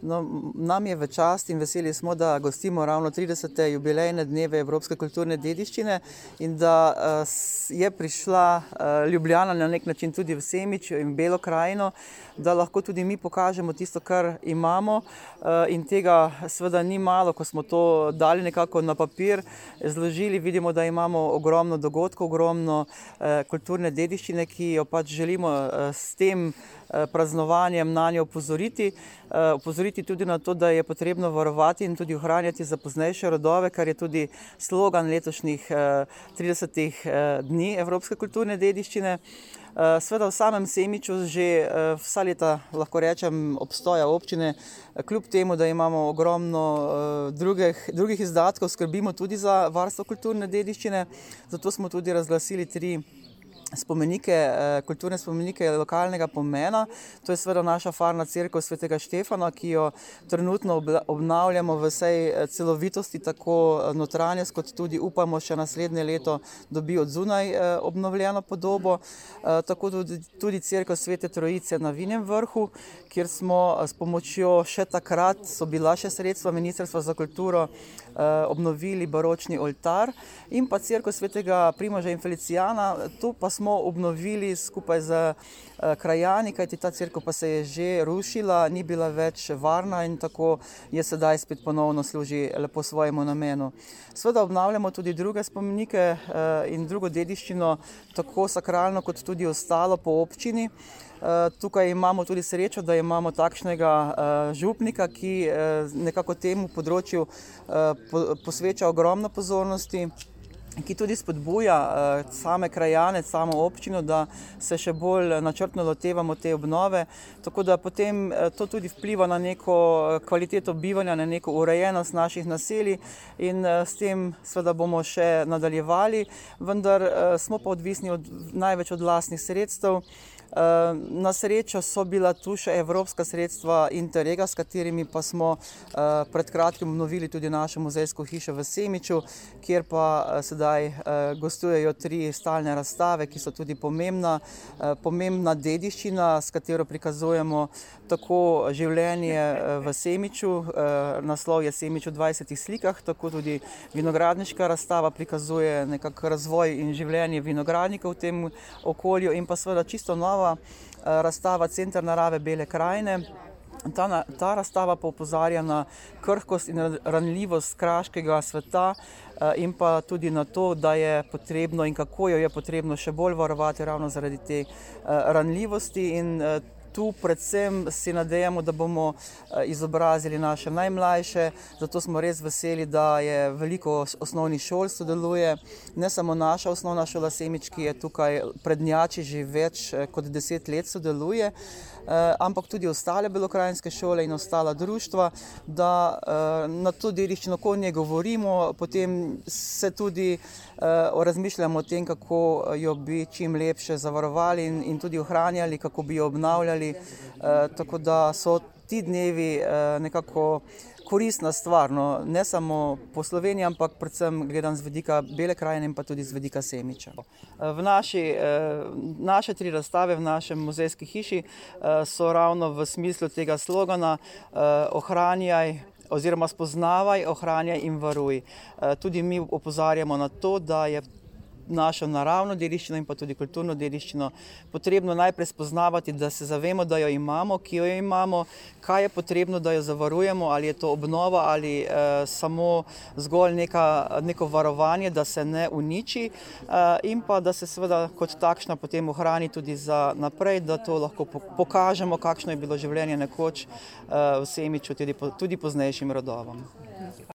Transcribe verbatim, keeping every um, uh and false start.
No, nam je v čast in veseli smo, da gostimo ravno tridesete jubilejne dneve evropske kulturne dediščine in da je prišla Ljubljana na nek način tudi v Semič in Belo krajino, da lahko tudi mi pokažemo tisto, kar imamo, in tega seveda ni malo, ko smo to dali nekako na papir, zložili, vidimo, da imamo ogromno dogodkov, ogromno kulturne dediščine, ki jo pač želimo s tem praznovanjem na njo opozoriti, opozoriti tudi na to, da je potrebno varovati in tudi ohranjati za poznejše rodove, kar je tudi slogan letošnjih tridesetih dni evropske kulturne dediščine. Seveda v samem Semiču že vsa leta, lahko rečem, obstoja občine, kljub temu, da imamo ogromno drugih, drugih izdatkov, skrbimo tudi za varstvo kulturne dediščine, zato smo tudi razglasili tri spomenike, kulturne spomenike lokalnega pomena. To je seveda naša farna cerkev svetega Štefana, ki jo trenutno obnavljamo v vsej celovitosti, tako notranjost, kot tudi upamo še naslednje leto dobi od zunaj obnovljeno podobo. Tako tudi, tudi cerkev Svete Trojice na Vinem vrhu, kjer smo s pomočjo še takrat, so bila še sredstva Ministrstva za kulturo, obnovili baročni oltar, in pa cerkev Svetega Primoža in Felicijana, to pa smo obnovili skupaj z krajani, kajti ta cerkev pa se je že rušila, ni bila več varna in tako je sedaj spet ponovno služi lepo svojemu namenu. Seveda obnavljamo tudi druge spomenike in drugo dediščino, tako sakralno kot tudi ostalo po občini. Tukaj imamo tudi srečo, da imamo takšnega župnika, ki nekako temu področju posveča ogromno pozornosti, ki tudi spodbuja same krajane, samo občino, da se še bolj načrtno lotevamo te obnove, tako da potem to tudi vpliva na neko kvaliteto bivanja, na neko urejenost naših naselij in s tem seveda bomo še nadaljevali, vendar smo pa odvisni od, največ od lastnih sredstev. Na srečo so bila tu še evropska sredstva Interrega, s katerimi pa smo pred kratkim obnovili tudi našo muzejsko hišo v Semiču, kjer pa sedaj gostujejo tri stalne razstave, ki so tudi pomembna, pomembna dediščina, s katero prikazujemo tako življenje v Semiču, naslov je Semič v dvajsetih slikah, tako tudi vinogradniška razstava prikazuje nekako razvoj in življenje vinogradnikov v tem okolju, in pa seveda čisto nova razstava Center narave Bele krajine. Ta, ta razstava pa opozarja na krhkost in ranljivost kraškega sveta in pa tudi na to, da je potrebno in kako jo je potrebno še bolj varovati ravno zaradi te ranljivosti, in tu predvsem si nadejamo, da bomo izobrazili naše najmlajše, zato smo res veseli, da je veliko osnovnih šol sodeluje, ne samo naša osnovna šola Semič, ki je tukaj prednjači že več kot deset let sodeluje, ampak tudi ostale belokranjske šole in ostala društva, da na to dediščino, ko o njej govorimo, potem se tudi razmišljamo o tem, kako jo bi čim lepše zavarovali in, in tudi ohranjali, kako bi jo obnavljali, tako da so ti dnevi nekako koristna stvar, no, ne samo po Sloveniji, ampak predvsem gledam z vidika Bele krajine in pa tudi z vidika Semiča. V naši, naše tri razstave v našem muzejski hiši so ravno v smislu tega slogana ohranjaj oziroma spoznavaj, ohranjaj in varuj. Tudi mi opozarjamo na to, da je našo naravno dediščino in pa tudi kulturno dediščino potrebno najprej spoznavati, da se zavemo, da jo imamo, ki jo imamo, kaj je potrebno, da jo zavarujemo, ali je to obnova ali eh, samo zgolj neka, neko varovanje, da se ne uniči, eh, in pa da se seveda kot takšna potem ohrani tudi za naprej, da to lahko pokažemo, kakšno je bilo življenje nekoč eh, v Semiču tudi, tudi poznejšim rodovom.